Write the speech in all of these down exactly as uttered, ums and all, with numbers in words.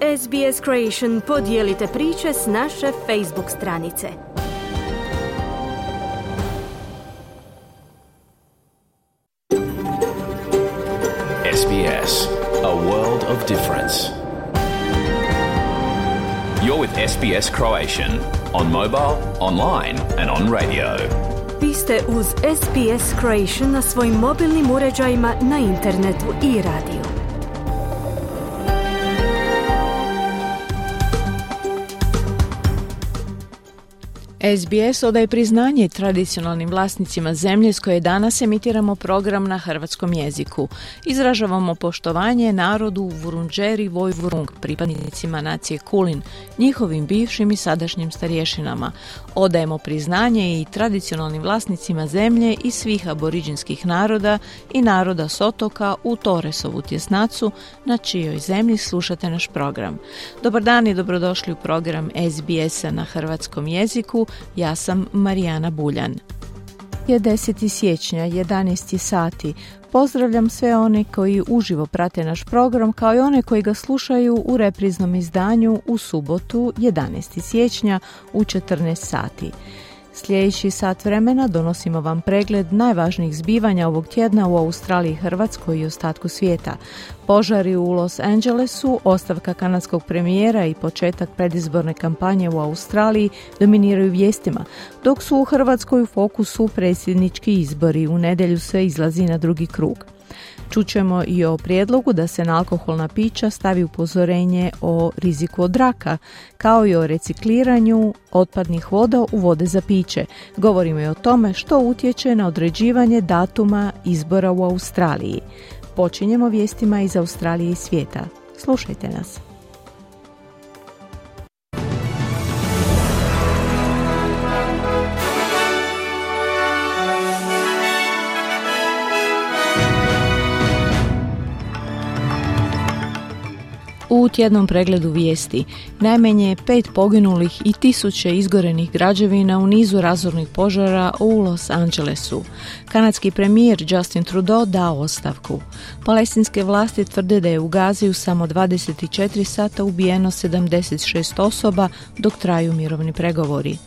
S B S Creation podijelite priče s naše Facebook stranice. S B S, a world of difference. You're with S B S Croatian on mobile, online and on radio. Vi ste uz S B S Croatian na svojim mobilnim uređajima, na internetu i radiju. S B S odaje priznanje tradicionalnim vlasnicima zemlje s koje danas emitiramo program na hrvatskom jeziku. Izražavamo poštovanje narodu Vurundjeri Vojvurung, pripadnicima nacije Kulin, njihovim bivšim i sadašnjim starješinama. Odajemo priznanje i tradicionalnim vlasnicima zemlje i svih aboriđinskih naroda i naroda s otoka u Torresovu tjesnacu, na čijoj zemlji slušate naš program. Dobar dan i dobrodošli u program S B S-a na hrvatskom jeziku. Ja sam Marijana Buljan. Je deseti siječnja, jedanaest sati. Pozdravljam sve one koji uživo prate naš program, kao i one koji ga slušaju u repriznom izdanju u subotu, jedanaesti siječnja u četrnaest sati. Sljedeći sat vremena donosimo vam pregled najvažnijih zbivanja ovog tjedna u Australiji, Hrvatskoj i ostatku svijeta. Požari u Los Angelesu, ostavka kanadskog premijera i početak predizborne kampanje u Australiji dominiraju vijestima, dok su u Hrvatskoj u fokusu predsjednički izbori. U nedjelju se izlazi na drugi krug. Čućemo i o prijedlogu da se na alkoholna pića stavi upozorenje o riziku od raka, kao i o recikliranju otpadnih voda u vode za piće. Govorimo i o tome što utječe na određivanje datuma izbora u Australiji. Počinjemo vijestima iz Australije i svijeta. Slušajte nas. U tjednom pregledu vijesti najmanje pet poginulih i tisuće izgorenih građevina u nizu razornih požara u Los Angelesu. Kanadski premijer Justin Trudeau dao ostavku. Palestinske vlasti tvrde da je u Gazi u samo dvadeset četiri sata ubijeno sedamdeset šest osoba dok traju mirovni pregovori.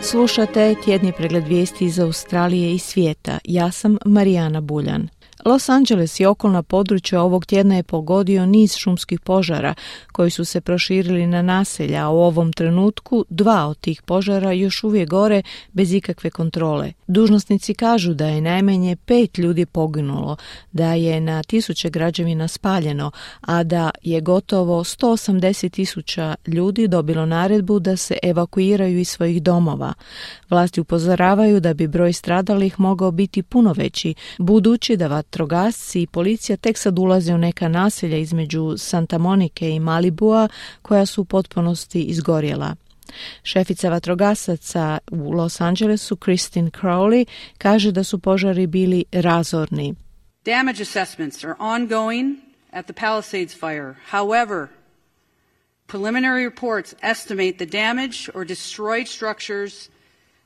Slušate tjedni pregled vijesti iz Australije i svijeta. Ja sam Marijana Buljan. Los Angeles i okolna područja ovog tjedna je pogodio niz šumskih požara koji su se proširili na naselja, a u ovom trenutku dva od tih požara još uvijek gore bez ikakve kontrole. Dužnosnici kažu da je najmanje pet ljudi poginulo, da je na tisuće građevina spaljeno, a da je gotovo sto osamdeset tisuća ljudi dobilo naredbu da se evakuiraju iz svojih domova. Vlasti upozoravaju da bi broj stradalih mogao biti puno veći, budući da vatrogasci i policija tek sad ulaze u neka naselja između Santa Monike i Malibua koja su u potpunosti izgorjela. Šefica vatrogasaca u Los Angelesu, Christine Crowley, kaže da su požari bili razorni. Damage assessments are ongoing at the Palisades fire. However, preliminary reports estimate the damage or destroyed structures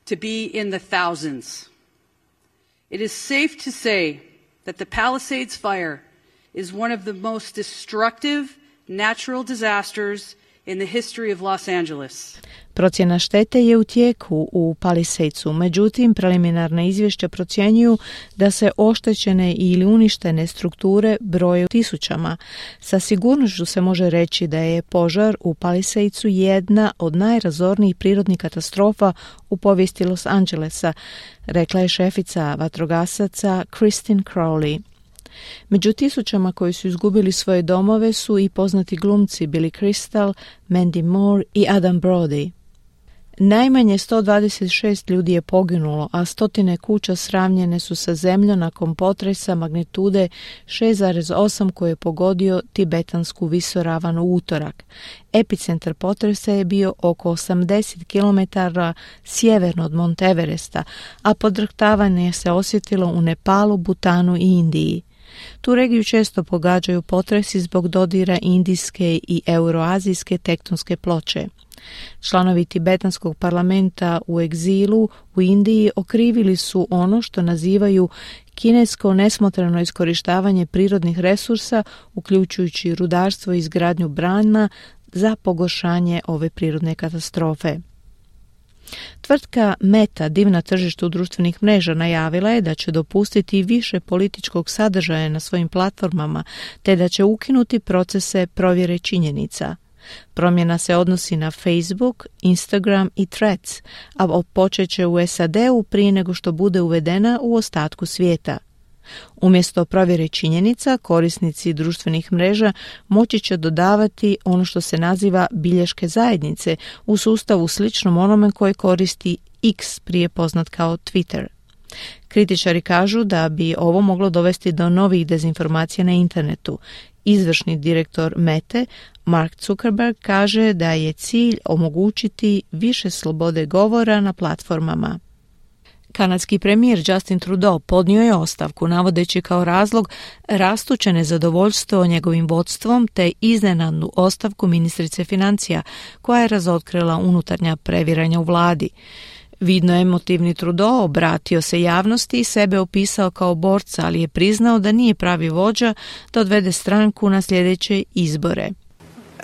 to be in the thousands. It is safe to say that the Palisades fire is one of the most destructive natural disasters in the history of Los Angeles. Procjena štete je u tijeku u Palisadesu, međutim preliminarna izvješća procjenjuju da se oštećene ili uništene strukture broje u tisućama. Sa sigurnošću se može reći da je požar u Palisadesu jedna od najrazornijih prirodnih katastrofa u povijesti Los Angelesa, rekla je šefica vatrogasaca Christine Crowley. Među tisućama koji su izgubili svoje domove su i poznati glumci Billy Crystal, Mandy Moore i Adam Brody. Najmanje sto dvadeset šest ljudi je poginulo, a stotine kuća sravnjene su sa zemljom nakon potresa magnitude šest zarez osam koji je pogodio tibetansku visoravan u utorak. Epicentar potresa je bio oko osamdeset kilometara sjeverno od Mount Everesta, a podrhtavanje se osjetilo u Nepalu, Butanu i Indiji. Tu regiju često pogađaju potresi zbog dodira indijske i euroazijske tektonske ploče. Članovi tibetanskog parlamenta u egzilu u Indiji okrivili su ono što nazivaju kinesko nesmotreno iskorištavanje prirodnih resursa, uključujući rudarstvo i izgradnju brana, za pogoršanje ove prirodne katastrofe. Tvrtka Meta, div na tržištu društvenih mreža, najavila je da će dopustiti više političkog sadržaja na svojim platformama, te da će ukinuti procese provjere činjenica. Promjena se odnosi na Facebook, Instagram i Threads, a počet će u S A D-u prije nego što bude uvedena u ostatku svijeta. Umjesto provjere činjenica, korisnici društvenih mreža moći će dodavati ono što se naziva bilješke zajednice u sustavu sličnom onome koje koristi X, prije poznat kao Twitter. Kritičari kažu da bi ovo moglo dovesti do novih dezinformacija na internetu. Izvršni direktor Mete, Mark Zuckerberg, kaže da je cilj omogućiti više slobode govora na platformama. Kanadski premijer Justin Trudeau podnio je ostavku, navodeći kao razlog rastuće nezadovoljstvo njegovim vodstvom te iznenadnu ostavku ministrice financija, koja je razotkrila unutarnja previranja u vladi. Vidno emotivni Trudeau obratio se javnosti i sebe opisao kao borca, ali je priznao da nije pravi vođa da odvede stranku na sljedeće izbore.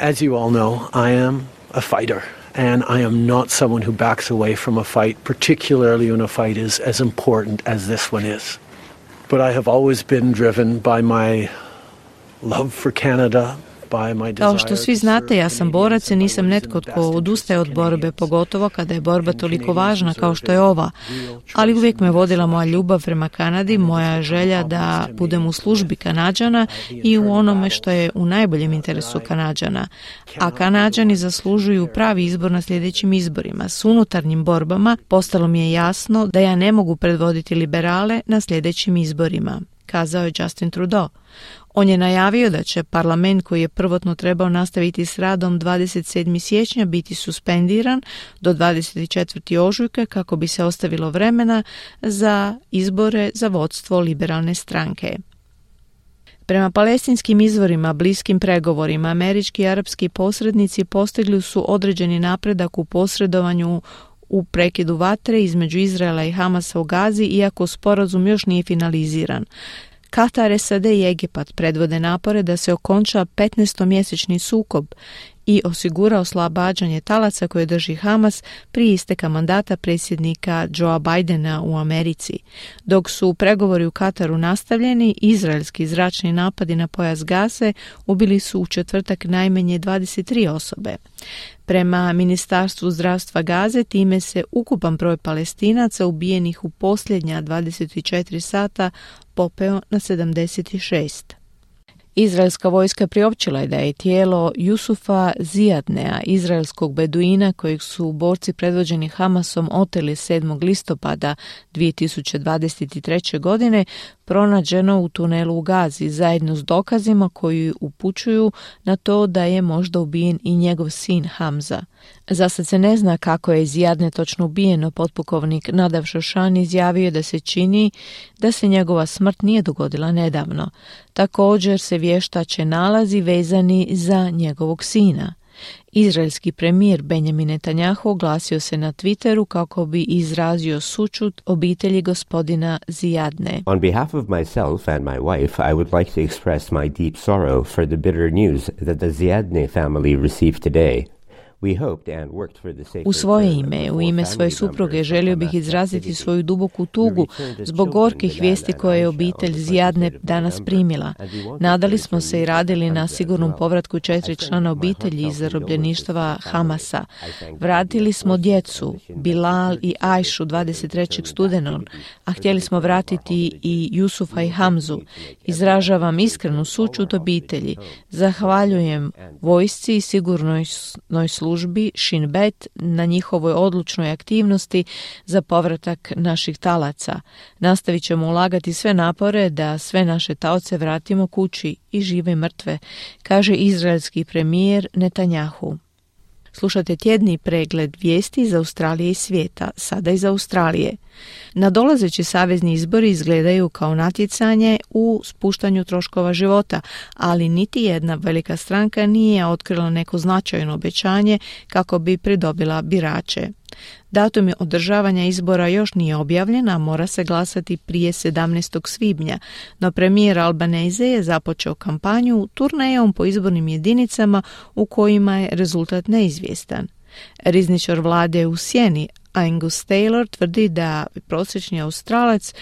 As you all know, I am a fighter. And I am not someone who backs away from a fight, particularly when a fight is as important as this one is. But I have always been driven by my love for Canada. Kao što svi znate, ja sam borac i nisam netko tko odustaje od borbe, pogotovo kada je borba toliko važna kao što je ova. Ali uvijek me vodila moja ljubav prema Kanadi, moja želja da budem u službi Kanađana i u onome što je u najboljem interesu Kanađana. A Kanađani zaslužuju pravi izbor na sljedećim izborima. S unutarnjim borbama postalo mi je jasno da ja ne mogu predvoditi liberale na sljedećim izborima, kazao je Justin Trudeau. On je najavio da će parlament, koji je prvotno trebao nastaviti s radom dvadeset sedmog siječnja, biti suspendiran do dvadeset četvrtog ožujka kako bi se ostavilo vremena za izbore za vodstvo liberalne stranke. Prema palestinskim izvorima, bliskim pregovorima, američki i arapski posrednici postigli su određeni napredak u posredovanju u prekidu vatre između Izraela i Hamasa u Gazi, iako sporazum još nije finaliziran. Katar, S A D i Egipat predvode napore da se okonča petnaestomjesečni sukob i osigura oslobađanje talaca koje drži Hamas prije isteka mandata predsjednika Joea Bidena u Americi. Dok su pregovori u Kataru nastavljeni, izraelski zračni napadi na pojas Gaze ubili su u četvrtak najmanje dvadeset tri osobe. Prema Ministarstvu zdravstva Gaze, time se ukupan broj Palestinaca ubijenih u posljednja dvadeset četiri sata popeo na sedamdeset šest. Izraelska vojska priopćila je da je tijelo Jusufa Zijadnea, izraelskog beduina kojeg su borci predvođeni Hamasom oteli sedmog listopada dvije tisuće dvadeset treće. godine, pronađeno u tunelu u Gazi zajedno s dokazima koji upućuju na to da je možda ubijen i njegov sin Hamza. Zasad se ne zna kako je Zijadne točno ubijeno. Potpukovnik Nadav Šošan izjavio da se čini da se njegova smrt nije dogodila nedavno. Također se vještače nalazi vezani za njegovog sina. Izraelski premijer Benjamin Netanjahu oglasio se na Twitteru kako bi izrazio sućut obitelji gospodina Zijadne. On behalf of myself and my wife, I would like to express my deep sorrow for the bitter news that the Zijadne family received today. U svoje ime, u ime svoje supruge, želio bih izraziti svoju duboku tugu zbog gorkih vijesti koje je obitelj Zijadne danas primila. Nadali smo se i radili na sigurnom povratku četiri člana obitelji iz zarobljeništva Hamasa. Vratili smo djecu, Bilal i Ajšu dvadeset trećeg studenog, a htjeli smo vratiti i Jusufa i Hamzu. Izražavam iskrenu sućut obitelji. Zahvaljujem vojsci i sigurnoj službi službi Shin Bet na njihovoj odlučnoj aktivnosti za povratak naših talaca. Nastavit ćemo ulagati sve napore da sve naše taoce vratimo kući, i žive i mrtve, kaže izraelski premijer Netanjahu. Slušate tjedni pregled vijesti iz Australije i svijeta, sada iz Australije. Nadolazeći savezni izbori izgledaju kao natjecanje u spuštanju troškova života, ali niti jedna velika stranka nije otkrila neko značajno obećanje kako bi pridobila birače. Datum održavanja izbora još nije objavljen, a mora se glasati prije sedamnaestog svibnja, no premijer Albanese je započeo kampanju turnejom po izbornim jedinicama u kojima je rezultat neizvjestan. Rizničar vlade u sjeni Angus Taylor tvrdi da prosječni Australac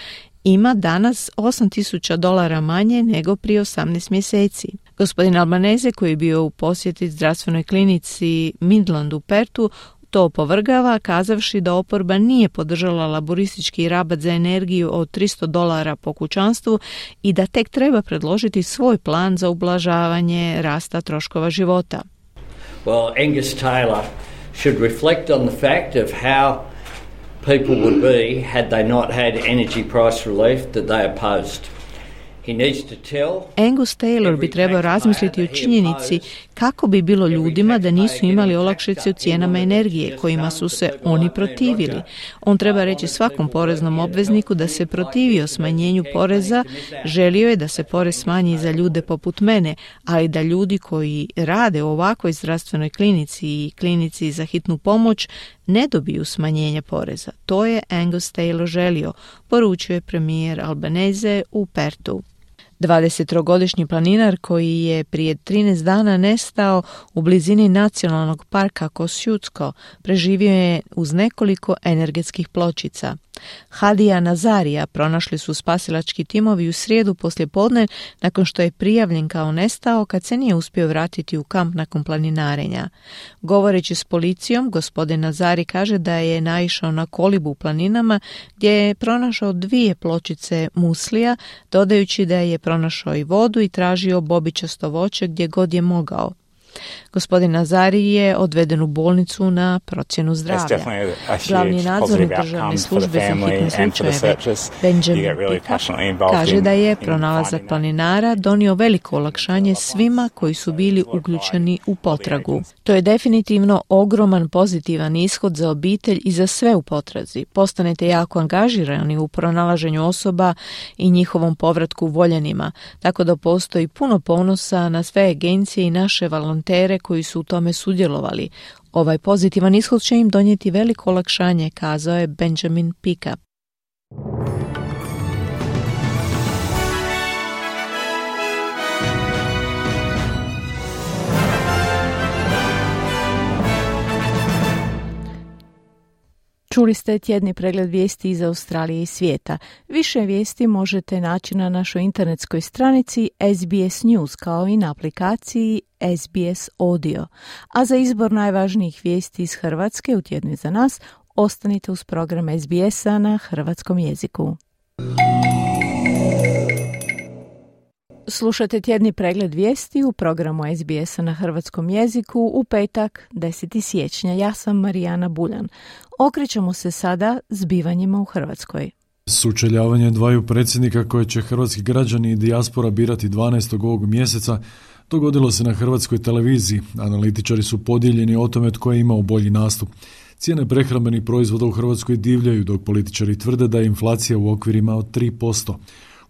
ima danas osam tisuća dolara manje nego prije osamnaest mjeseci. Gospodin Albanese, koji je bio u posjeti zdravstvenoj klinici Midland u Pertu, to opovrgava, kazavši da oporba nije podržala laboristički rabat za energiju od tristo dolara po kućanstvu i da tek treba predložiti svoj plan za ublažavanje rasta troškova života. Well, Angus Taylor should reflect on the fact of how people would be had they not had energy price relief that they opposed. Angus Taylor bi trebao razmisliti o činjenici kako bi bilo ljudima da nisu imali olakšice u cijenama energije kojima su se oni protivili. On treba reći svakom poreznom obvezniku da se protivio smanjenju poreza, želio je da se porez smanji za ljude poput mene, ali da ljudi koji rade u ovakvoj zdravstvenoj klinici i klinici za hitnu pomoć ne dobiju smanjenje poreza. To je Angus Taylor želio, poručuje premijer Albanese u Pertu. dvadesettrogodišnji planinar koji je prije trinaest dana nestao u blizini nacionalnog parka Kosciuszko preživio je uz nekoliko energetskih pločica. Hadija Nazarija pronašli su spasilački timovi u srijedu poslijepodne nakon što je prijavljen kao nestao kad se nije uspio vratiti u kamp nakon planinarenja. Govoreći s policijom, gospodin Nazari kaže da je naišao na kolibu u planinama gdje je pronašao dvije pločice muslija, dodajući da je pronašao i vodu i tražio bobičasto voće gdje god je mogao. Gospodin Nazari je odveden u bolnicu na procjenu zdravlja. Glavni nadzornik državne službe za hitne slučajeve Benjamin Pika kaže da je pronalazak planinara donio veliko olakšanje svima koji su bili uključeni u potragu. To je definitivno ogroman pozitivan ishod za obitelj i za sve u potrazi. Postanete jako angažirani u pronalaženju osoba i njihovom povratku voljenima, tako da postoji puno ponosa na sve agencije i naše volontere koji su u tome sudjelovali. Ovaj pozitivan ishod će im donijeti veliko olakšanje, kazao je Benjamin Pika. Čuli ste tjedni pregled vijesti iz Australije i svijeta. Više vijesti možete naći na našoj internetskoj stranici S B S News kao i na aplikaciji S B S Audio. A za izbor najvažnijih vijesti iz Hrvatske u tjednu za nas, ostanite uz program S B S-a na hrvatskom jeziku. Slušate tjedni pregled vijesti u programu S B S-a na hrvatskom jeziku u petak desetog siječnja. Ja sam Marijana Buljan. Okrećemo se sada zbivanjima u Hrvatskoj. Sučeljavanje dvaju predsjednika koje će hrvatski građani i dijaspora birati dvanaestog ovog mjeseca dogodilo se na hrvatskoj televiziji. Analitičari su podijeljeni o tome tko je imao bolji nastup. Cijene prehrambenih proizvoda u Hrvatskoj divljaju, dok političari tvrde da je inflacija u okvirima od tri posto.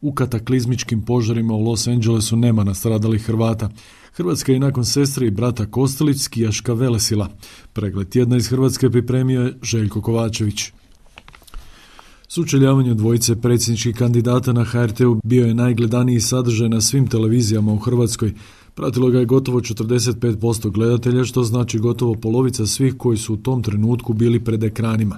U kataklizmičkim požarima u Los Angelesu nema nastradalih Hrvata. Hrvatska je nakon sestre i brata Kostelić skijaška velesila. Pregled tjedna iz Hrvatske pripremio je Željko Kovačević. Sučeljavanje dvojice predsjedničkih kandidata na H R T-u bio je najgledaniji sadržaj na svim televizijama u Hrvatskoj. Pratilo ga je gotovo četrdeset pet posto gledatelja, što znači gotovo polovica svih koji su u tom trenutku bili pred ekranima.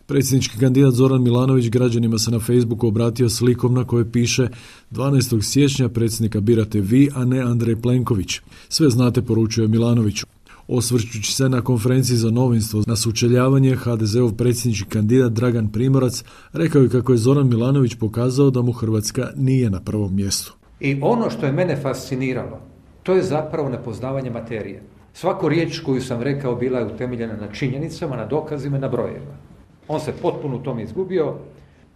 Predsjednički kandidat Zoran Milanović građanima se na Facebooku obratio slikom na kojoj piše dvanaestog siječnja predsjednika birate vi, a ne Andrej Plenković. Sve znate, poručuje Milanoviću. Osvrćući se na konferenciji za novinstvo na sučeljavanje, H D Z-ov predsjednički kandidat Dragan Primorac rekao je kako je Zoran Milanović pokazao da mu Hrvatska nije na prvom mjestu. I ono što je mene fasciniralo, to je zapravo nepoznavanje materije. Svaku riječ koju sam rekao bila je utemeljena na činjenicama, na dokazima, na brojevima. On se potpuno u tom izgubio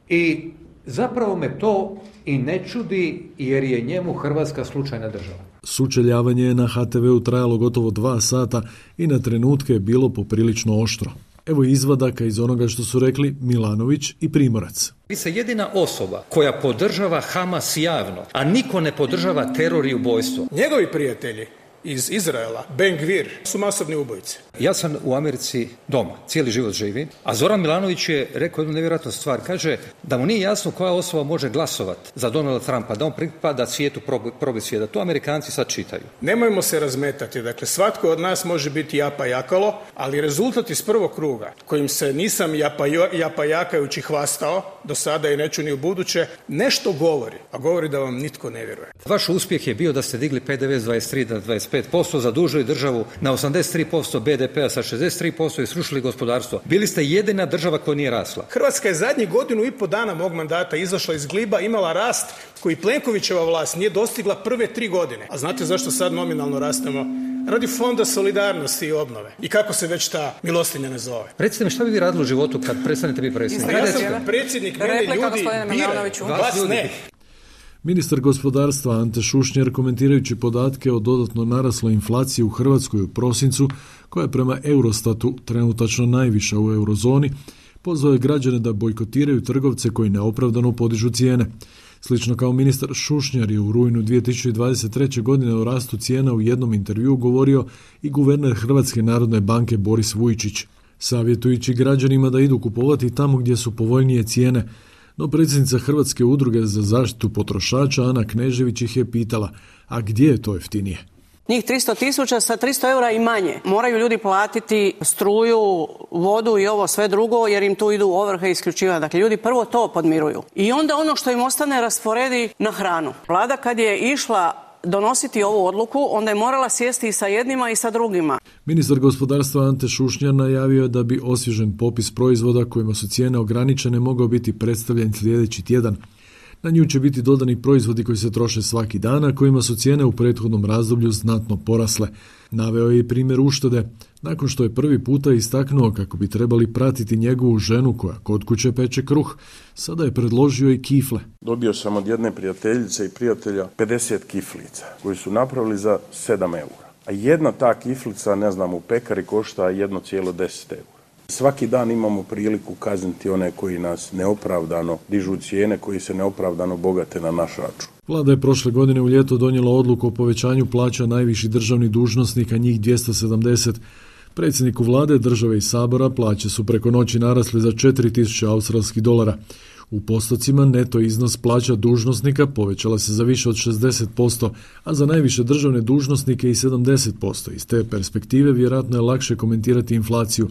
i zapravo me to i ne čudi jer je njemu Hrvatska slučajna država. Sučeljavanje je na ha te veu trajalo gotovo dva sata i na trenutke je bilo poprilično oštro. Evo izvadaka iz onoga što su rekli Milanović i Primorac. Vi ste jedina osoba koja podržava Hamas javno, a niko ne podržava teror i ubojstvo. Njegovi prijatelji iz Izraela, Ben Gvir, su masovni ubojice. Ja sam u Americi doma, cijeli život živi, a Zoran Milanović je rekao jednu nevjerojatnu stvar. Kaže da mu nije jasno koja osoba može glasovati za Donalda Trumpa, da on pripada svijetu probi svijeta. To Amerikanci sad čitaju. Nemojmo se razmetati. Dakle, svatko od nas može biti japa jakalo, ali rezultat iz prvog kruga, kojim se nisam japa, japa jakajući hvastao do sada i neću ni u buduće, nešto govori, a govori da vam nitko ne vjeruje. Vaš uspjeh je bio da ste digli pe de ve s dvadeset tri na dvadeset pet posto, zadužili državu na osamdeset tri posto be de pea sa šezdeset tri posto i srušili gospodarstvo. Bili ste jedina država koja nije rasla. Hrvatska je zadnjih godinu i po dana mog mandata izašla iz gliba, imala rast koji Plenkovićeva vlast nije dostigla prve tri godine. A znate zašto sad nominalno rastemo? Radi Fonda solidarnosti i obnove. I kako se već ta milostinja ne zove. Recite mi, šta bi vi radili u životu kad prestanete biti predsjednik? Ja sam predsjednik, mene ljudi biraju, vas ne. Ministar gospodarstva Ante Šušnjar, komentirajući podatke o dodatno narasloj inflaciji u Hrvatskoj u prosincu, koja je prema Eurostatu trenutačno najviša u eurozoni, pozvao je građane da bojkotiraju trgovce koji neopravdano podižu cijene. Slično kao ministar Šušnjar je u rujnu dvije tisuće dvadeset treće. godine o rastu cijena u jednom intervjuu govorio i guverner Hrvatske narodne banke Boris Vujčić, savjetujući građanima da idu kupovati tamo gdje su povoljnije cijene. No predsjednica Hrvatske udruge za zaštitu potrošača Ana Knežević ih je pitala, a gdje je to jeftinije? Njih tristo tisuća sa tristo eura i manje. Moraju ljudi platiti struju, vodu i ovo sve drugo jer im tu idu ovrhe i isključivanja. Dakle, ljudi prvo to podmiruju. I onda ono što im ostane rasporedi na hranu. Vlada kad je išla donositi ovu odluku, onda je morala sjesti i sa jednima i sa drugima. Ministar gospodarstva Ante Šušnjar najavio je da bi osvježen popis proizvoda kojima su cijene ograničene mogao biti predstavljen sljedeći tjedan. Na nju će biti dodani proizvodi koji se troše svaki dan, a kojima su cijene u prethodnom razdoblju znatno porasle. Naveo je i primjer uštede, nakon što je prvi puta istaknuo kako bi trebali pratiti njegovu ženu koja kod kuće peče kruh. Sada je predložio i kifle. Dobio sam od jedne prijateljice i prijatelja pedeset kiflica koji su napravili za sedam eura. A jedna ta kiflica, ne znam, u pekari košta jedno zarez deset eura. Svaki dan imamo priliku kazniti one koji nas neopravdano dižu cijene, koji se neopravdano bogate na naš račun. Vlada je prošle godine u ljeto donijela odluku o povećanju plaća najviših državnih dužnosnika, njih dvjesto sedamdeset. Predsjedniku vlade, države i sabora plaće su preko noći narasle za četiri tisuće australskih dolara. U postocima neto iznos plaća dužnosnika povećala se za više od šezdeset posto, a za najviše državne dužnosnike i sedamdeset posto. Iz te perspektive vjerojatno je lakše komentirati inflaciju.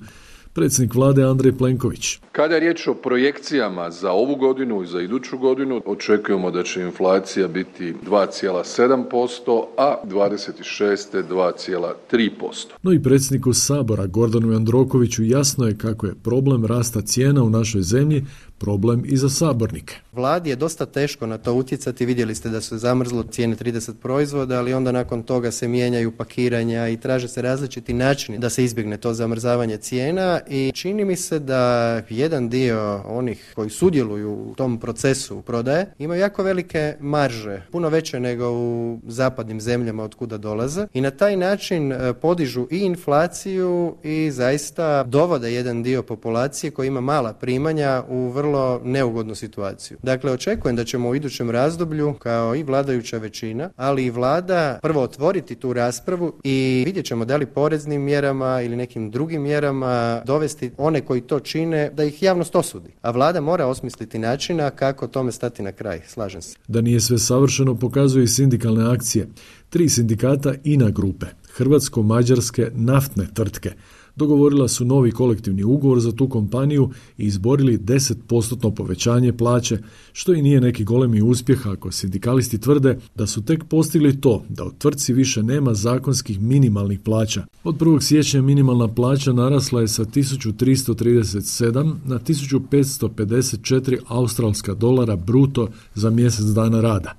Predsjednik vlade Andrej Plenković. Kada je riječ o projekcijama za ovu godinu i za iduću godinu, očekujemo da će inflacija biti dva zarez sedam posto, a dvadeset šeste. dva zarez tri posto. No i predsjedniku Sabora Gordanu Jandrokoviću jasno je kako je problem rasta cijena u našoj zemlji problem i za sabornike. Vladi je dosta teško na to utjecati, vidjeli ste da su zamrzlo cijene trideset proizvoda, ali onda nakon toga se mijenjaju pakiranja i traže se različiti načini da se izbjegne to zamrzavanje cijena i čini mi se da jedan dio onih koji sudjeluju u tom procesu prodaje imaju jako velike marže, puno veće nego u zapadnim zemljama od kuda dolaze i na taj način podižu i inflaciju i zaista dovode jedan dio populacije koji ima mala primanja u vrlo neugodnu situaciju. Dakle, očekujem da ćemo u idućem razdoblju, kao i vladajuća većina, ali i vlada, prvo otvoriti tu raspravu i vidjet ćemo da li poreznim mjerama ili nekim drugim mjerama dovesti one koji to čine, da ih javnost osudi. A vlada mora osmisliti načina kako tome stati na kraj. Slažem se. Da nije sve savršeno pokazuju i sindikalne akcije. Tri sindikata INA grupe, hrvatsko-mađarske naftne tvrtke, dogovorila su novi kolektivni ugovor za tu kompaniju i izborili deset posto povećanje plaće, što i nije neki golemi uspjeh ako sindikalisti tvrde da su tek postigli to da u tvrtci više nema zakonskih minimalnih plaća. Od prvog siječnja minimalna plaća narasla je sa tisuću tristo trideset sedam na tisuću petsto pedeset četiri australska dolara bruto za mjesec dana rada,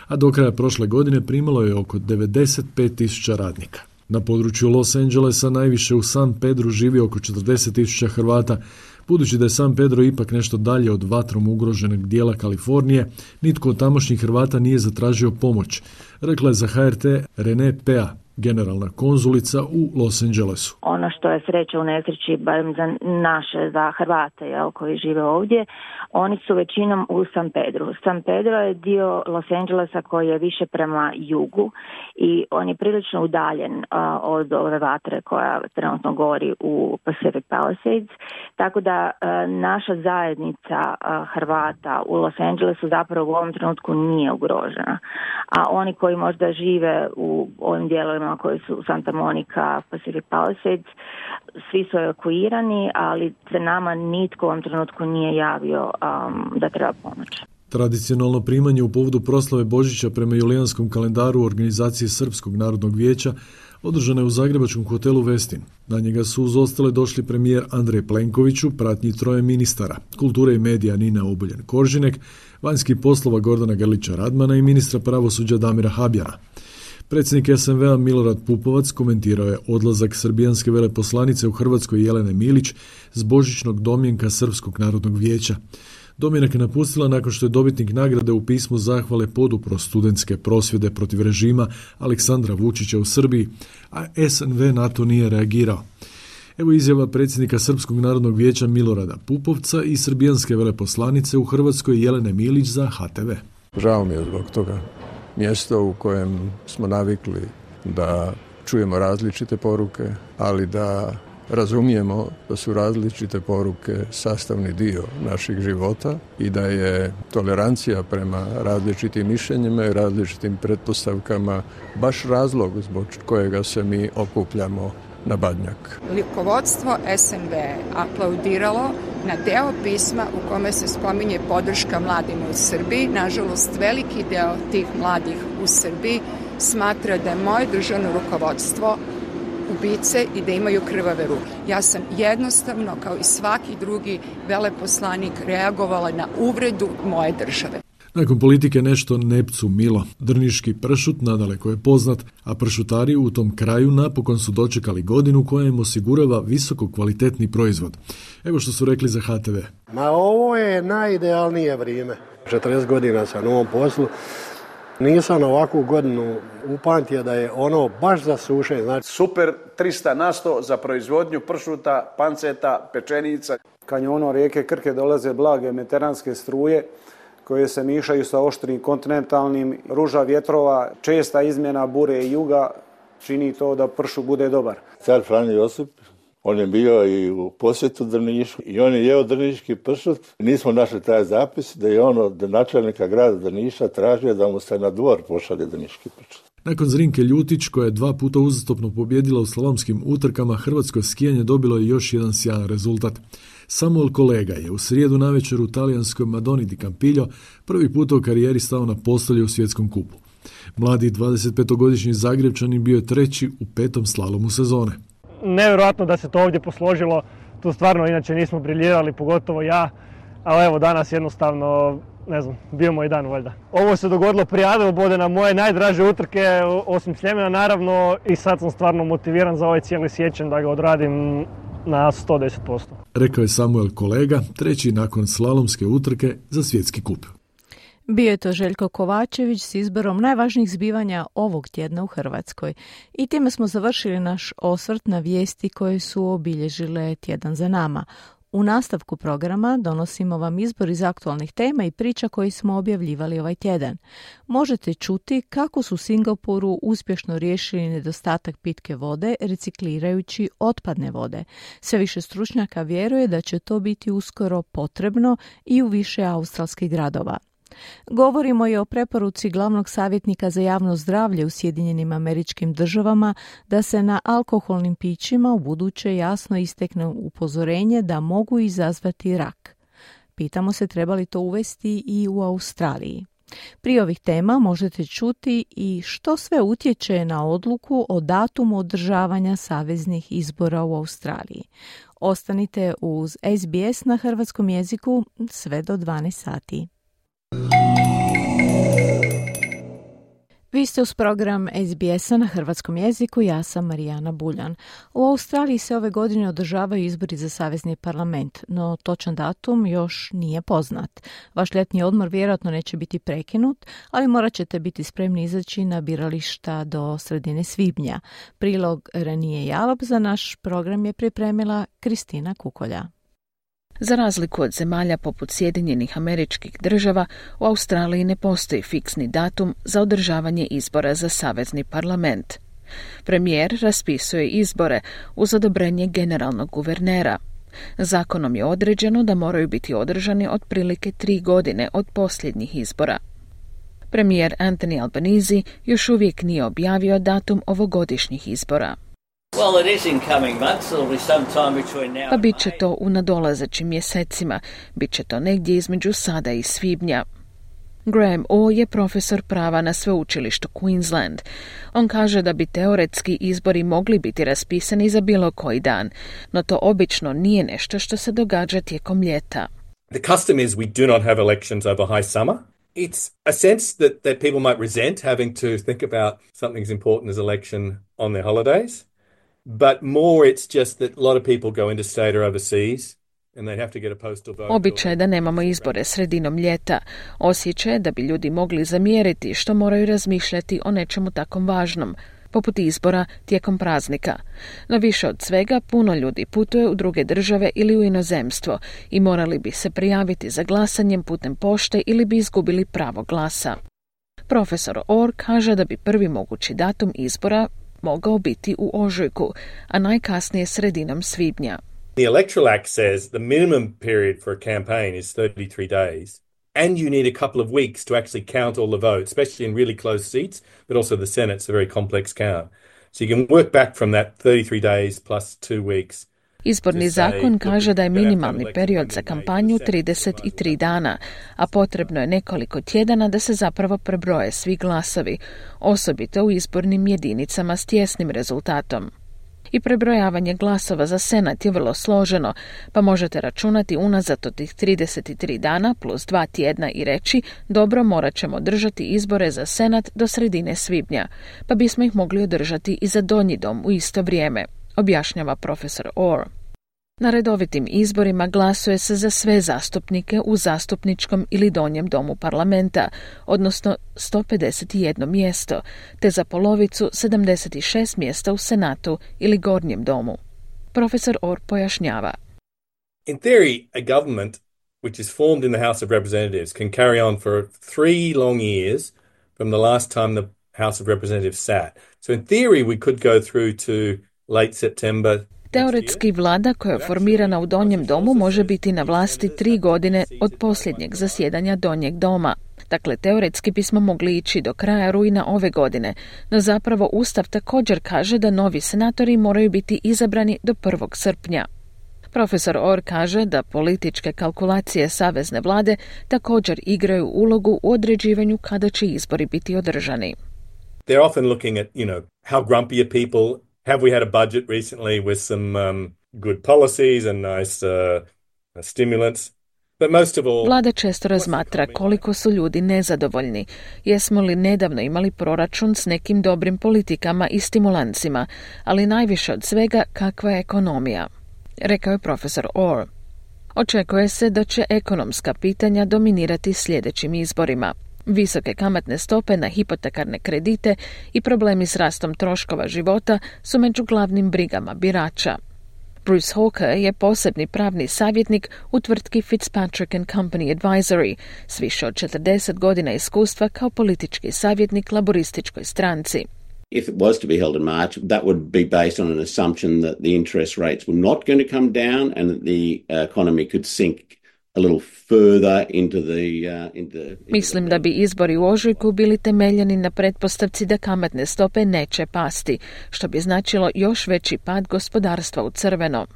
a do kraja prošle godine primalo je oko devedeset pet tisuća radnika. Na području Los Angelesa najviše u San Pedru živi oko četrdeset tisuća Hrvata, Budući da je San Pedro ipak nešto dalje od vatrom ugroženog dijela Kalifornije, nitko od tamošnjih Hrvata nije zatražio pomoć, rekla je za H R T Renee Pea, generalna konzulica u Los Angelesu. Ono što je sreća u nesreći, barem za naše, za Hrvate jel, koji žive ovdje, oni su većinom u San Pedru. San Pedro je dio Los Angelesa koji je više prema jugu i on je prilično udaljen uh, od ove vatre koja trenutno gori u Pacific Palisades. Tako da uh, naša zajednica uh, Hrvata u Los Angelesu zapravo u ovom trenutku nije ugrožena. A oni koji možda žive u ovim dijelovima koji su Santa Monica, Pacific Palisades, svi su evakuirani, ali se nama nitko u ovom trenutku nije javio um, da treba pomoć. Tradicionalno primanje u povodu proslave Božića prema julijanskom kalendaru organizacije Srpskog narodnog vijeća održano je u zagrebačkom hotelu Westin. Na njega su uz ostale došli premijer Andrej Plenković u pratnji troje ministara, kulture i medija Nina Obuljen-Koržinek, vanjskih poslova Gordana Grlića Radmana i ministra pravosuđa Damira Habjana. Predsjednik S N V-a Milorad Pupovac komentirao je odlazak srbijanske veleposlanice u Hrvatskoj Jelene Milić s božićnog domjenka Srpskog narodnog vijeća. Domjenak je napustila nakon što je dobitnik nagrade u pismu zahvale podupro studentske prosvjede protiv režima Aleksandra Vučića u Srbiji, a S N V na to nije reagirao. Evo izjava predsjednika Srpskog narodnog vijeća Milorada Pupovca i srbijanske veleposlanice u Hrvatskoj Jelene Milić za H T V. Žao mi je zbog toga. Mjesto u kojem smo navikli da čujemo različite poruke, ali da razumijemo da su različite poruke sastavni dio naših života i da je tolerancija prema različitim mišljenjima i različitim pretpostavkama baš razlog zbog kojega se mi okupljamo na Badnjak. Rukovodstvo S N V aplaudiralo na deo pisma u kome se spominje podrška mladima u Srbiji. Nažalost, veliki deo tih mladih u Srbiji smatra da je moje državno rukovodstvo ubice i da imaju krvave ruke. Ja sam jednostavno, kao i svaki drugi veleposlanik, reagovala na uvredu moje države. Nakon politike nešto nepcu milo. Drniški pršut nadaleko je poznat, a pršutari u tom kraju napokon su dočekali godinu koja im osigurava visoko kvalitetni proizvod. Evo što su rekli za H T V. Ma ovo je najidealnije vrijeme. četrdeset godina sam u ovom poslu. Nisam ovakvu godinu upamtio da je ono baš za suše. Znači... Super trista na sto za proizvodnju pršuta, panceta, pečenica. Kanjonom rijeke Krke dolaze blage mediteranske struje koje se mišaju sa oštrim kontinentalnim, ruža vjetrova, česta izmjena bure i juga čini to da pršut bude dobar. Car Franjo Josip, on je bio i u posjetu Drnišu i on je jeo drniški pršut. Nismo našli taj zapis da je on od načelnika grada Drniša tražio da mu se na dvor pošalje drniški pršut. Nakon Zrinke Ljutić, koja je dva puta uzastopno pobjedila u slalomskim utrkama, hrvatsko skijanje dobilo je još jedan sjajan rezultat. Samuel Kolega je u srijedu navečer u talijanskoj Madoni di Campiglio prvi put u karijeri stao na postolje u svjetskom kupu. Mladi dvadesetpetogodišnji Zagrebčanin bio je treći u petom slalomu sezone. Nevjerojatno da se to ovdje posložilo, tu stvarno inače nismo briljirali, pogotovo ja, ali evo danas jednostavno, ne znam, bio moj dan valjda. Ovo se dogodilo prije Adelbode na moje najdraže utrke, osim Sljemena naravno, i sad sam stvarno motiviran za ovaj cijeli siječanj da ga odradim na sto deset posto. Rekao je Samuel Kolega, treći nakon slalomske utrke za svjetski kup. Bio je to Željko Kovačević s izborom najvažnijih zbivanja ovog tjedna u Hrvatskoj. I time smo završili naš osvrt na vijesti koje su obilježile tjedan za nama. U nastavku programa donosimo vam izbor iz aktualnih tema i priča koje smo objavljivali ovaj tjedan. Možete čuti kako su u Singapuru uspješno riješili nedostatak pitke vode reciklirajući otpadne vode. Sve više stručnjaka vjeruje da će to biti uskoro potrebno i u više australskih gradova. Govorimo i o preporuci glavnog savjetnika za javno zdravlje u Sjedinjenim Američkim Državama da se na alkoholnim pićima u buduće jasno istekne upozorenje da mogu izazvati rak. Pitamo se treba li to uvesti i u Australiji. Prije ovih tema možete čuti i što sve utječe na odluku o datumu održavanja saveznih izbora u Australiji. Ostanite uz S B S na hrvatskom jeziku sve do dvanaest sati. Vi ste uz program S B S-a na hrvatskom jeziku, ja sam Marijana Buljan. U Australiji se ove godine održavaju izbori za savezni parlament, no točan datum još nije poznat. Vaš ljetni odmor vjerojatno neće biti prekinut, ali morat ćete biti spremni izaći na birališta do sredine svibnja. Prilog Ranije Jalop za naš program je pripremila Kristina Kukolja. Za razliku od zemalja poput Sjedinjenih Američkih Država, u Australiji ne postoji fiksni datum za održavanje izbora za savezni parlament. Premijer raspisuje izbore uz odobrenje generalnog guvernera. Zakonom je određeno da moraju biti održani otprilike tri godine od posljednjih izbora. Premijer Anthony Albanese još uvijek nije objavio datum ovogodišnjih izbora. Pa bit će to u nadolazećim mjesecima, bit će to negdje između sada i svibnja. Graham O je profesor prava na sveučilištu Queensland. On kaže da bi teoretski izbori mogli biti raspisani za bilo koji dan, no to obično nije nešto što se događa tijekom ljeta. The custom is we do not have elections over high summer. It's a sense that, that people might resent having to think about something as important as election on their holidays. But more it's just that a lot of people go interstate or overseas and they have to get a postal vote. Običaj da nemamo izbore sredinom ljeta. Osjećaj da bi ljudi mogli zamjeriti što moraju razmišljati o nečemu takom važnom, poput izbora tijekom praznika. No više od svega, puno ljudi putuje u druge države ili u inozemstvo i morali bi se prijaviti za glasanjem putem pošte ili bi izgubili pravo glasa. Profesor Orr kaže da bi prvi mogući datum izbora mogao biti u ožujku, a najkasnije sredinom svibnja. The Electoral Act says the minimum period for a campaign is thirty-three days, and you need a couple of weeks to actually count all the votes, especially in really close seats, but also the Senate's a very complex count. So you can work back from that thirty-three days plus two weeks. Izborni zakon kaže da je minimalni period za kampanju trideset tri dana, a potrebno je nekoliko tjedana da se zapravo prebroje svi glasovi, osobito u izbornim jedinicama s tjesnim rezultatom. I prebrojavanje glasova za Senat je vrlo složeno, pa možete računati unazad od tih trideset tri dana plus dva tjedna i reći, dobro, morat ćemo održati izbore za Senat do sredine svibnja, pa bismo ih mogli održati i za donji dom u isto vrijeme, objašnjava profesor Orr. Na redovitim izborima glasuje se za sve zastupnike u zastupničkom ili donjem domu parlamenta, odnosno sto pedeset jedno mjesto, te za polovicu sedamdeset šest mjesta u Senatu ili gornjem domu. Profesor Orr pojašnjava. In theory, a government which is formed in the House of Representatives can carry on for three long years from the last time the House of Representatives sat. So in theory we could go through to late September. Teoretski vlada koja je formirana u donjem domu može biti na vlasti tri godine od posljednjeg zasjedanja donjeg doma. Dakle, teoretski bismo mogli ići do kraja rujna ove godine, no zapravo Ustav također kaže da novi senatori moraju biti izabrani do prvog srpnja. Profesor Orr kaže da političke kalkulacije savezne vlade također igraju ulogu u određivanju kada će izbori biti održani. They're often looking at, you know, how grumpy are people. Have we had a budget recently with some um, good policies and nice uh, stimulants? But most of all, Vlada često razmatra koliko su ljudi nezadovoljni. Jesmo li nedavno imali proračun s nekim dobrim politikama i stimulancima, ali najviše od svega kakva je ekonomija, rekao je profesor Orr. Očekuje se da će ekonomska pitanja dominirati sljedećim izborima. Visoke kamatne stope na hipotekarne kredite i problemi s rastom troškova života su među glavnim brigama birača. Bruce Hawker je posebni pravni savjetnik u tvrtki Fitzpatrick and Company Advisory s više od četrdeset godina iskustva kao politički savjetnik laborističkoj stranci. If it was to be held in March, that would be based on an assumption that the interest rates were not going to come down and that the economy could sink a little further into the, uh, into the... Mislim da bi izbori u ožujku bili temeljeni na pretpostavci da kamatne stope neće pasti, što bi značilo još veći pad gospodarstva u crveno.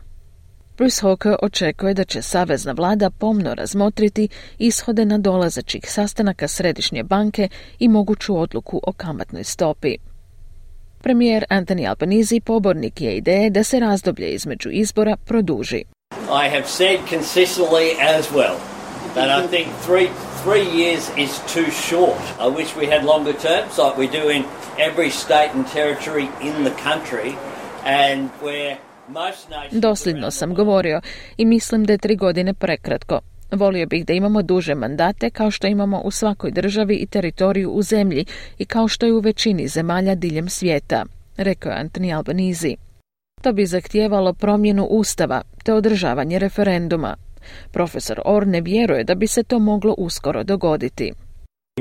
Bruce Hawker očekuje da će savezna vlada pomno razmotriti ishode nadolazećih sastanaka Središnje banke i moguću odluku o kamatnoj stopi. Premijer Anthony Albanese pobornik je ideje da se razdoblje između izbora produži. I have said consistently as well that I think three three years is too short. I wish we had longer terms like we do in every state and territory in the country, and where most nations... Dosljedno sam govorio i mislim da je tri godine prekratko. Volio bih da imamo duže mandate kao što imamo u svakoj državi i teritoriju u zemlji i kao što je u većini zemalja diljem svijeta, rekao je Anthony Albanese. To bi zahtijevalo promjenu ustava te održavanje referenduma. Profesor Orr ne vjeruje da bi se to moglo uskoro dogoditi.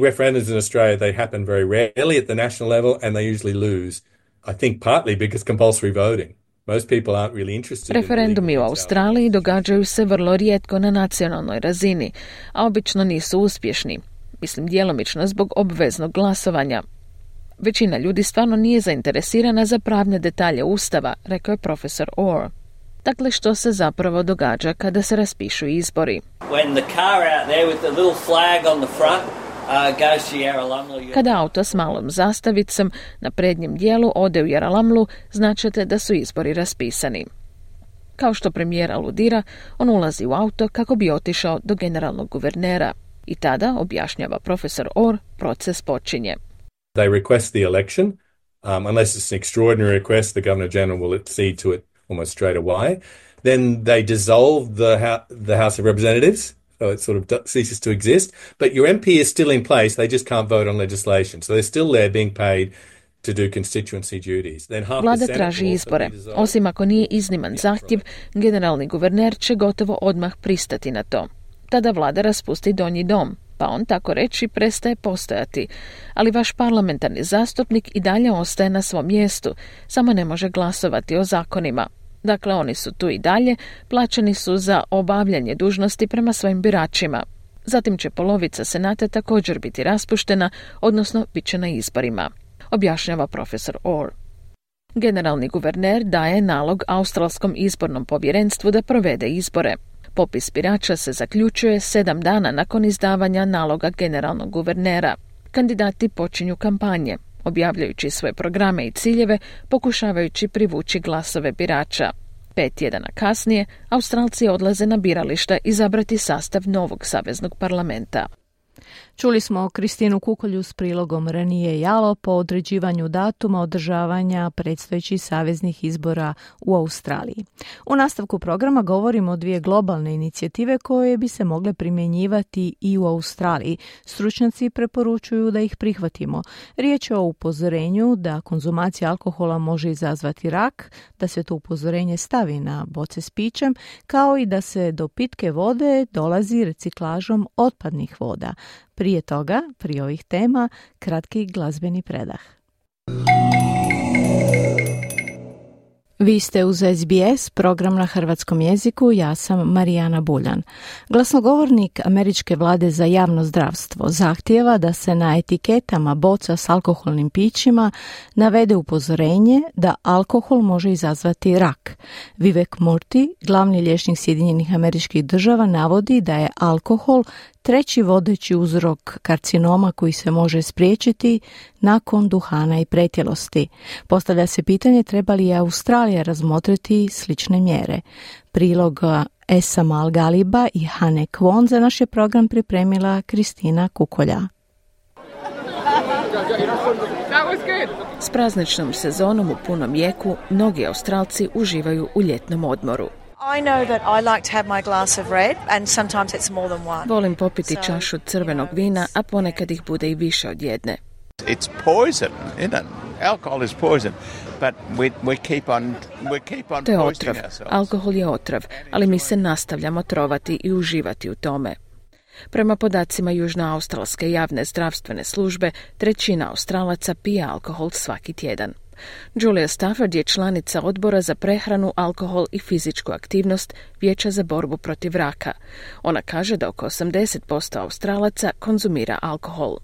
Referendums in Australia, they happen very rarely at the national level and they usually lose. I think partly because compulsory voting. Most people aren't really interested. Referendumi u Australiji događaju se vrlo rijetko na nacionalnoj razini, a obično nisu uspješni. Mislim djelomično zbog obveznog glasovanja. Većina ljudi stvarno nije zainteresirana za pravne detalje ustava, rekao je profesor Orr. Dakle, što se zapravo događa kada se raspišu izbori? When the car out there with the little flag on the front uh, goes to Yarralumla. Kada auto s malom zastavicom na prednjem dijelu ode u Yarralumlu, značite da su izbori raspisani. Kao što premijer aludira, on ulazi u auto kako bi otišao do generalnog guvernera. I tada, objašnjava profesor Orr, proces počinje. They request the election. Um, unless it's an extraordinary request, the Governor-General will accede to it almost straight away. Then they dissolve the, ho- the House of Representatives, so it sort of d- ceases to exist. But your M P is still in place, they just can't vote on legislation. So they're still there being paid to do constituency duties. Then half Vlada the traži izbore. Osim ako nije izniman zahtjev, generalni guverner će gotovo odmah pristati na to. Tada vlada raspusti donji dom, pa on tako reći prestaje postojati. Ali vaš parlamentarni zastupnik i dalje ostaje na svom mjestu, samo ne može glasovati o zakonima. Dakle, oni su tu i dalje, plaćeni su za obavljanje dužnosti prema svojim biračima. Zatim će polovica senata također biti raspuštena, odnosno bit će na izborima, objašnjava profesor Orr. Generalni guverner daje nalog Australskom izbornom povjerenstvu da provede izbore. Popis birača se zaključuje sedam dana nakon izdavanja naloga generalnog guvernera. Kandidati počinju kampanje, objavljajući svoje programe i ciljeve, pokušavajući privući glasove birača. Pet tjedana kasnije, Australci odlaze na birališta izabrati sastav novog saveznog parlamenta. Čuli smo Kristinu Kukolju s prilogom Ranije Jalo po određivanju datuma održavanja predstojećih saveznih izbora u Australiji. U nastavku programa govorimo o dvije globalne inicijative koje bi se mogle primjenjivati i u Australiji. Stručnjaci preporučuju da ih prihvatimo. Riječ je o upozorenju da konzumacija alkohola može izazvati rak, da se to upozorenje stavi na boce s pićem, kao i da se do pitke vode dolazi reciklažom otpadnih voda. Prije toga, prije ovih tema, kratki glazbeni predah. Vi ste uz S B S, program na hrvatskom jeziku, ja sam Marijana Buljan. Glasnogovornik Američke vlade za javno zdravstvo zahtijeva da se na etiketama boca s alkoholnim pićima navede upozorenje da alkohol može izazvati rak. Vivek Murthy, glavni liječnik Sjedinjenih Američkih Država, navodi da je alkohol treći vodeći uzrok karcinoma koji se može spriječiti nakon duhana i pretjelosti. Postavlja se pitanje treba li Australija razmotriti slične mjere. Prilog Esa Malgaliba i Hane Kwon za naš je program pripremila Kristina Kukolja. S prazničnom sezonom u punom jeku mnogi Australci uživaju u ljetnom odmoru. I know that I like to have my glass of red and sometimes it's more than one. Volim popiti čašu crvenog vina, a ponekad ih bude i više od jedne. It's poison, isn't it? Alcohol is poison, but we we keep on we keep on To je poisoning otrov. ourselves. Alkohol je otrov, ali mi se nastavljamo trovati i uživati u tome. Prema podacima Južnoaustralske javne zdravstvene službe, trećina Australaca pije alkohol svaki tjedan. Julia Stafford je članica odbora za prehranu, alkohol i fizičku aktivnost Vijeća za borbu protiv raka. Ona kaže da oko osamdeset posto Australaca konzumira alkohol.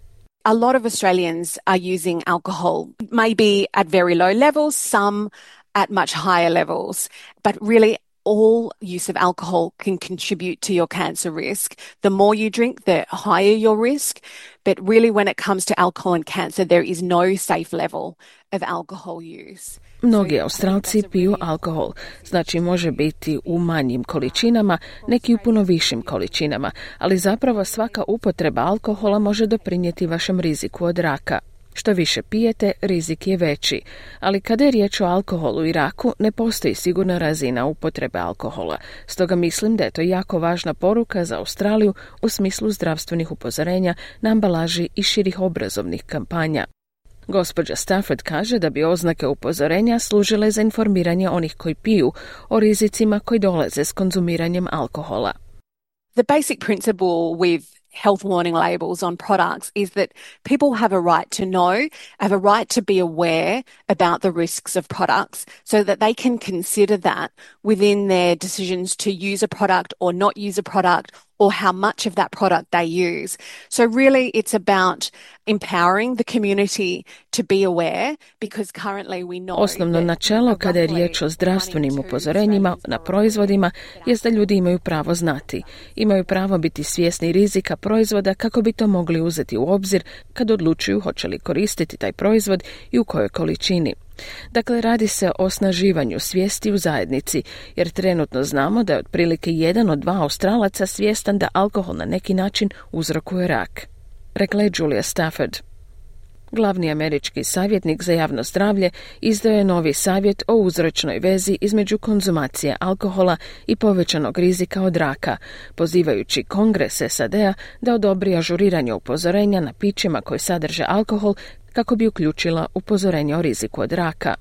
A lot of Australians are using alcohol, maybe at very low levels, some at much higher levels, but really all use of alcohol can contribute to your cancer risk. The more you drink, the higher your risk. But really, when it comes to alcohol and cancer, there is no safe level of alcohol use. Mnogi Australci piju alkohol, znači može biti u manjim količinama, neki u puno višim količinama, ali zapravo svaka upotreba alkohola može doprinijeti vašem riziku od raka. Što više pijete, rizik je veći, ali kada je riječ o alkoholu i raku, ne postoji sigurna razina upotrebe alkohola. Stoga mislim da je to jako važna poruka za Australiju u smislu zdravstvenih upozorenja na ambalaži i širih obrazovnih kampanja. Gospođa Stafford kaže da bi oznake upozorenja služile za informiranje onih koji piju o rizicima koji dolaze s konzumiranjem alkohola. The basic principle with health warning labels on products is that people have a right to know, have a right to be aware about the risks of products so that they can consider that within their decisions to use a product or not use a product or how much of that product they use. So really it's about empowering the community to be aware because currently we know. Osnovno načelo kada je riječ o zdravstvenim upozorenjima na proizvodima je da ljudi imaju pravo znati. Imaju pravo biti svjesni rizika proizvoda kako bi to mogli uzeti u obzir kad odlučuju hoće li koristiti taj proizvod i u kojoj količini. Dakle, radi se o osnaživanju svijesti u zajednici, jer trenutno znamo da je otprilike jedan od dva Australaca svjestan da alkohol na neki način uzrokuje rak. Rekla je Julia Stafford. Glavni američki savjetnik za javno zdravlje izdao je novi savjet o uzročnoj vezi između konzumacije alkohola i povećanog rizika od raka, pozivajući Kongres S A D-a da odobri ažuriranje upozorenja na pićima koji sadrže alkohol kako bi uključila upozorenje o riziku od raka.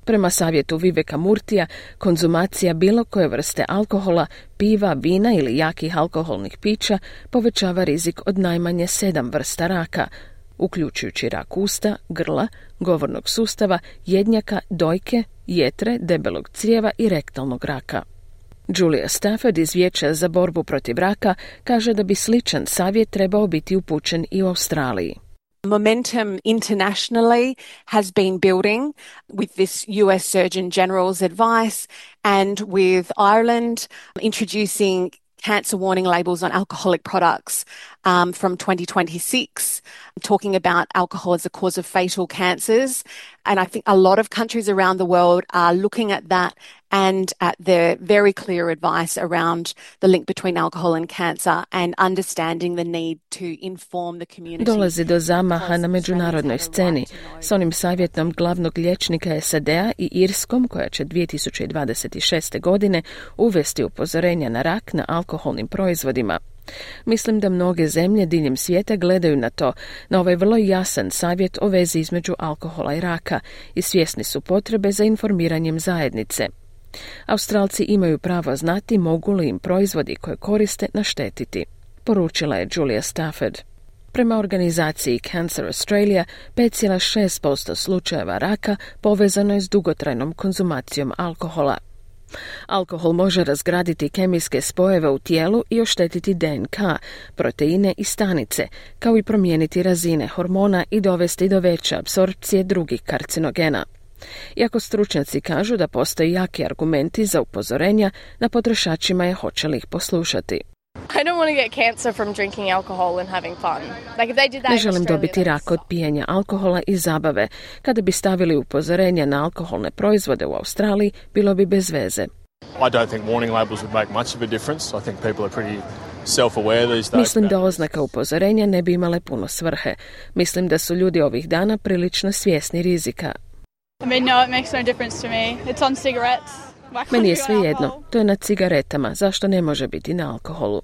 Prema savjetu Viveka Murtija, konzumacija bilo koje vrste alkohola, piva, vina ili jakih alkoholnih pića povećava rizik od najmanje sedam vrsta raka, uključujući rak usta, grla, govornog sustava, jednjaka, dojke, jetre, debelog crijeva i rektalnog raka. Julia Stafford iz Vijeća za borbu protiv raka kaže da bi sličan savjet trebao biti upućen i u Australiji. Momentum internationally has been building with this U S Surgeon General's advice and with Ireland introducing cancer warning labels on alcoholic products um, from twenty twenty-six, talking about alcohol as a cause of fatal cancers. And I think a lot of countries around the world are looking at that and at the very clear advice around the link between alcohol and cancer and understanding the need to inform the community. Dolazi do zamaha na međunarodnoj sceni s onim savjetom glavnog liječnika S A D-a i Irskom koja će dvije tisuće dvadeset šeste. godine uvesti upozorenja na rak na alkoholnim proizvodima. Mislim da mnoge zemlje diljem svijeta gledaju na to, na ovaj vrlo jasan savjet o vezi između alkohola i raka i svjesni su potrebe za informiranjem zajednice. Australci imaju pravo znati mogu li im proizvodi koje koriste naštetiti, poručila je Julia Stafford. Prema organizaciji Cancer Australia, pet zarez šest posto slučajeva raka povezano je s dugotrajnom konzumacijom alkohola. Alkohol može razgraditi kemijske spojeve u tijelu i oštetiti D N K, proteine i stanice, kao i promijeniti razine hormona i dovesti do veće apsorpcije drugih karcinogena. Iako stručnjaci kažu da postoje jaki argumenti za upozorenja, na potrošačima je hoće li ih poslušati. I don't want to get cancer from drinking alcohol and having fun. Like if they did that Ne želim dobiti rak od pijenja alkohola i zabave. Kada bi stavili upozorenja na alkoholne proizvode u Australiji, bilo bi bez veze. I don't think warning labels would make much of a difference. I think people are pretty self-aware these days. Mislim da oznaka upozorenja ne bi imale puno svrhe. Mislim da su ljudi ovih dana prilično svjesni rizika. I mean, no, it makes no difference to me. It's on cigarettes. Meni je sve jedno, to je na cigaretama, zašto ne može biti na alkoholu?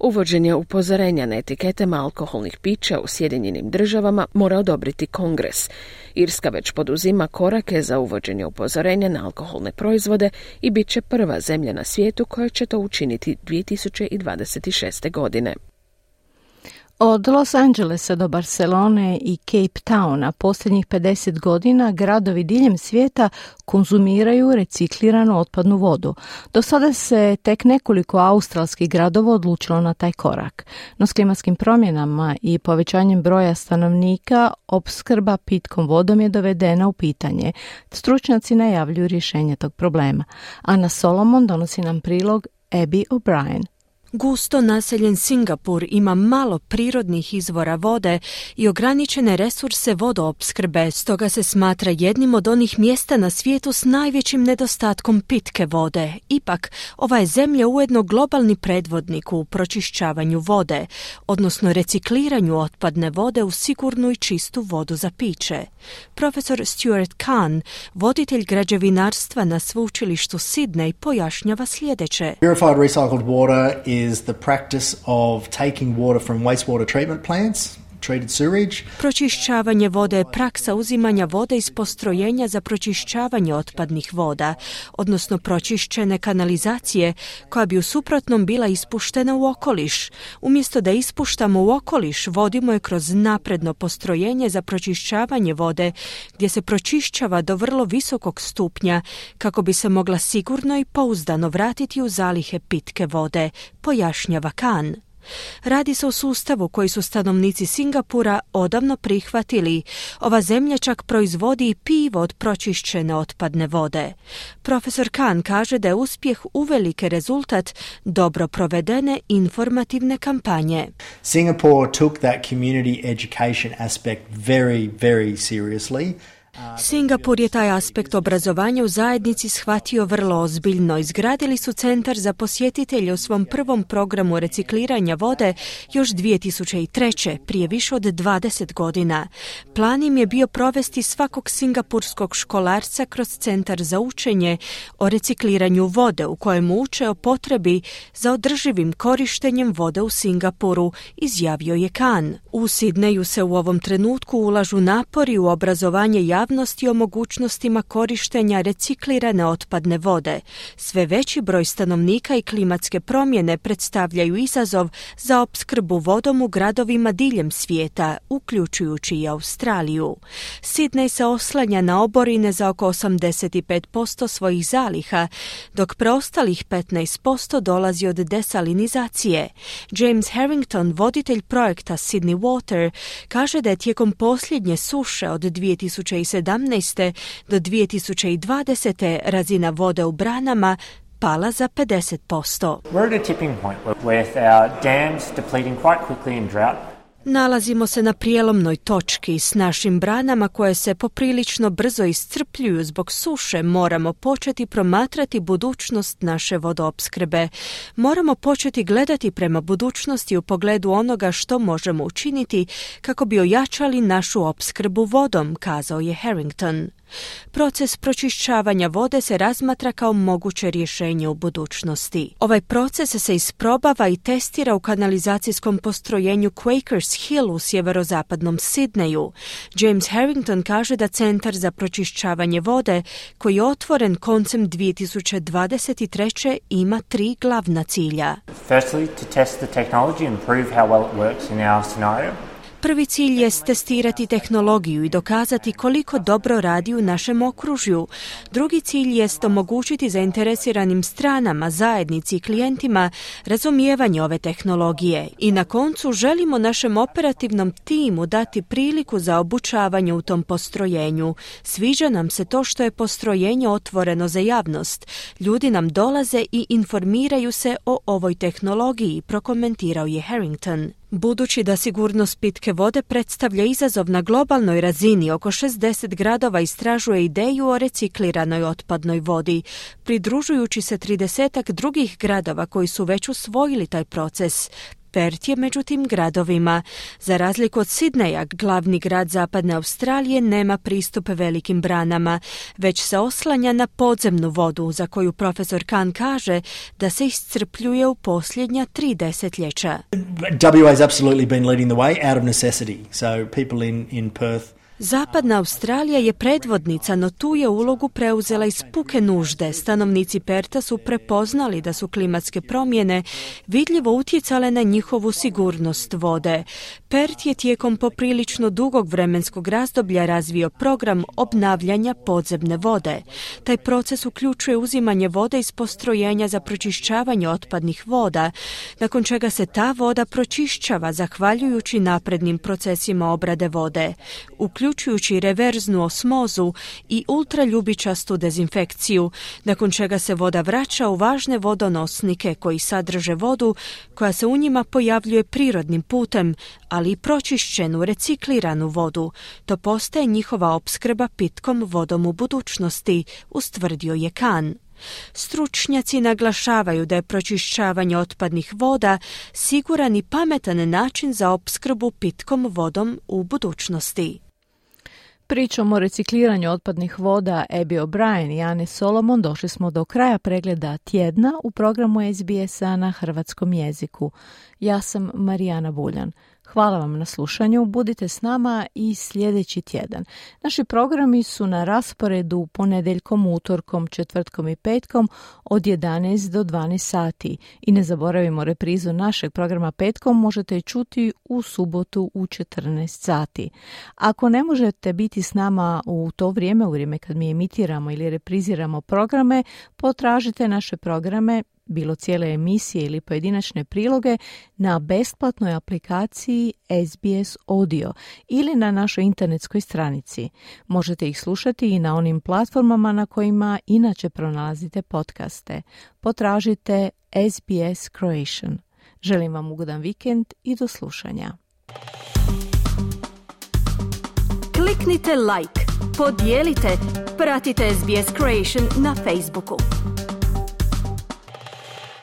Uvođenje upozorenja na etiketama alkoholnih pića u Sjedinjenim državama mora odobriti Kongres. Irska već poduzima korake za uvođenje upozorenja na alkoholne proizvode i bit će prva zemlja na svijetu koja će to učiniti dvije tisuće dvadeset šeste. godine. Od Los Angelesa do Barcelone i Cape Towna posljednjih pedeset godina gradovi diljem svijeta konzumiraju recikliranu otpadnu vodu. Do sada se tek nekoliko australskih gradova odlučilo na taj korak. No s klimatskim promjenama i povećanjem broja stanovnika opskrba pitkom vodom je dovedena u pitanje. Stručnjaci najavljuju rješenje tog problema. Ana Solomon donosi nam prilog Abby O'Brien. Gusto naseljen Singapur ima malo prirodnih izvora vode i ograničene resurse vodoopskrbe, stoga se smatra jednim od onih mjesta na svijetu s najvećim nedostatkom pitke vode. Ipak, ova je zemlja ujedno globalni predvodnik u pročišćavanju vode, odnosno recikliranju otpadne vode u sigurnu i čistu vodu za piće. Profesor Stuart Kahn, voditelj građevinarstva na sveučilištu Sydney, pojašnjava sljedeće. Purified recycled water is is the practice of taking water from wastewater treatment plants, treated sewage. Pročišćavanje vode je praksa uzimanja vode iz postrojenja za pročišćavanje otpadnih voda, odnosno pročišćene kanalizacije koja bi u suprotnom bila ispuštena u okoliš. Umjesto da ispuštamo u okoliš, vodimo je kroz napredno postrojenje za pročišćavanje vode, gdje se pročišćava do vrlo visokog stupnja kako bi se mogla sigurno i pouzdano vratiti u zalihe pitke vode, pojašnjava Kahn. Radi se o sustavu koji su stanovnici Singapura odavno prihvatili. Ova zemlja čak proizvodi i pivo od pročišćene otpadne vode. Profesor Kahn kaže da je uspjeh uvelike rezultat dobro provedene informativne kampanje. Singapore took that community education aspect very, very seriously. Singapur je taj aspekt obrazovanja u zajednici shvatio vrlo ozbiljno. Izgradili su centar za posjetitelje u svom prvom programu recikliranja vode još dvije tisuće treće, prije više od dvadeset godina. Plan im je bio provesti svakog singapurskog školarca kroz centar za učenje o recikliranju vode, u kojem uče o potrebi za održivim korištenjem vode u Singapuru, izjavio je Kahn. U Sidneju se u ovom trenutku ulažu napori u obrazovanje javnosti o mogućnostima korištenja reciklirane otpadne vode. Sve veći broj stanovnika i klimatske promjene predstavljaju izazov za opskrbu vodom u gradovima diljem svijeta, uključujući i Australiju. Sidney se oslanja na oborine za oko osamdeset pet posto svojih zaliha, dok preostalih petnaest posto dolazi od desalinizacije. James Harrington, voditelj projekta Sydney Water, kaže da je tijekom posljednje suše od dvije tisuće sedamnaeste do dvije tisuće dvadesete razina vode u branama pala za pedeset posto. We're at a tipping point with our dams depleting quite quickly in drought. Nalazimo se na prijelomnoj točki. S našim branama koje se poprilično brzo iscrpljuju zbog suše moramo početi promatrati budućnost naše vodoopskrbe. Moramo početi gledati prema budućnosti u pogledu onoga što možemo učiniti kako bi ojačali našu opskrbu vodom, kazao je Harrington. Proces pročišćavanja vode se razmatra kao moguće rješenje u budućnosti. Ovaj proces se isprobava i testira u kanalizacijskom postrojenju Quakers Hill u sjeverozapadnom Sidneju. James Harrington kaže da Centar za pročišćavanje vode, koji je otvoren koncem dvije tisuće dvadeset treće ima tri glavna cilja. Firstly, to test the technology and prove how well it works in our scenario. Prvi cilj je testirati tehnologiju i dokazati koliko dobro radi u našem okružju. Drugi cilj je omogućiti zainteresiranim stranama, zajednici i klijentima razumijevanje ove tehnologije. I na koncu želimo našem operativnom timu dati priliku za obučavanje u tom postrojenju. Sviđa nam se to što je postrojenje otvoreno za javnost. Ljudi nam dolaze i informiraju se o ovoj tehnologiji, prokomentirao je Harrington. Budući da sigurnost pitke vode predstavlja izazov na globalnoj razini, oko šezdeset gradova istražuje ideju o recikliranoj otpadnoj vodi, pridružujući se tridesetak drugih gradova koji su već usvojili taj proces. Perth je među tim gradovima. Za razliku od Sidneja, glavni grad zapadne Australije nema pristup velikim branama, već se oslanja na podzemnu vodu, za koju profesor Kahn kaže da se iscrpljuje u posljednja tri desetljeća. W A has absolutely been leading the way out of necessity. So people in, in Perth Zapadna Australija je predvodnica, no tu je ulogu preuzela iz puke nužde. Stanovnici Perta su prepoznali da su klimatske promjene vidljivo utjecale na njihovu sigurnost vode. Pert je tijekom poprilično dugog vremenskog razdoblja razvio program obnavljanja podzemne vode. Taj proces uključuje uzimanje vode iz postrojenja za pročišćavanje otpadnih voda, nakon čega se ta voda pročišćava zahvaljujući naprednim procesima obrade vode, uključujući reverznu osmozu i ultraljubičastu dezinfekciju, nakon čega se voda vraća u važne vodonosnike koji sadrže vodu koja se u njima pojavljuje prirodnim putem, ali i pročišćenu, recikliranu vodu. To postaje njihova opskrba pitkom vodom u budućnosti, ustvrdio je Khan. Stručnjaci naglašavaju da je pročišćavanje otpadnih voda siguran i pametan način za opskrbu pitkom vodom u budućnosti. Pričom o recikliranju otpadnih voda Abby O'Brien i Ane Solomon došli smo do kraja pregleda tjedna u programu S B S-a na hrvatskom jeziku. Ja sam Marijana Buljan. Hvala vam na slušanju, budite s nama i sljedeći tjedan. Naši programi su na rasporedu ponedjeljkom, utorkom, četvrtkom i petkom od jedanaest do dvanaest sati. I ne zaboravimo, reprizu našeg programa petkom možete čuti u subotu u četrnaest sati. Ako ne možete biti s nama u to vrijeme, u vrijeme kad mi emitiramo ili repriziramo programe, potražite naše programe, bilo cijele emisije ili pojedinačne priloge, na besplatnoj aplikaciji S B S Audio ili na našoj internetskoj stranici. Možete ih slušati i na onim platformama na kojima inače pronalazite podcaste. Potražite S B S Croatian. Želim vam ugodan vikend i do slušanja. Kliknite like, podijelite, pratite S B S Croatian na Facebooku.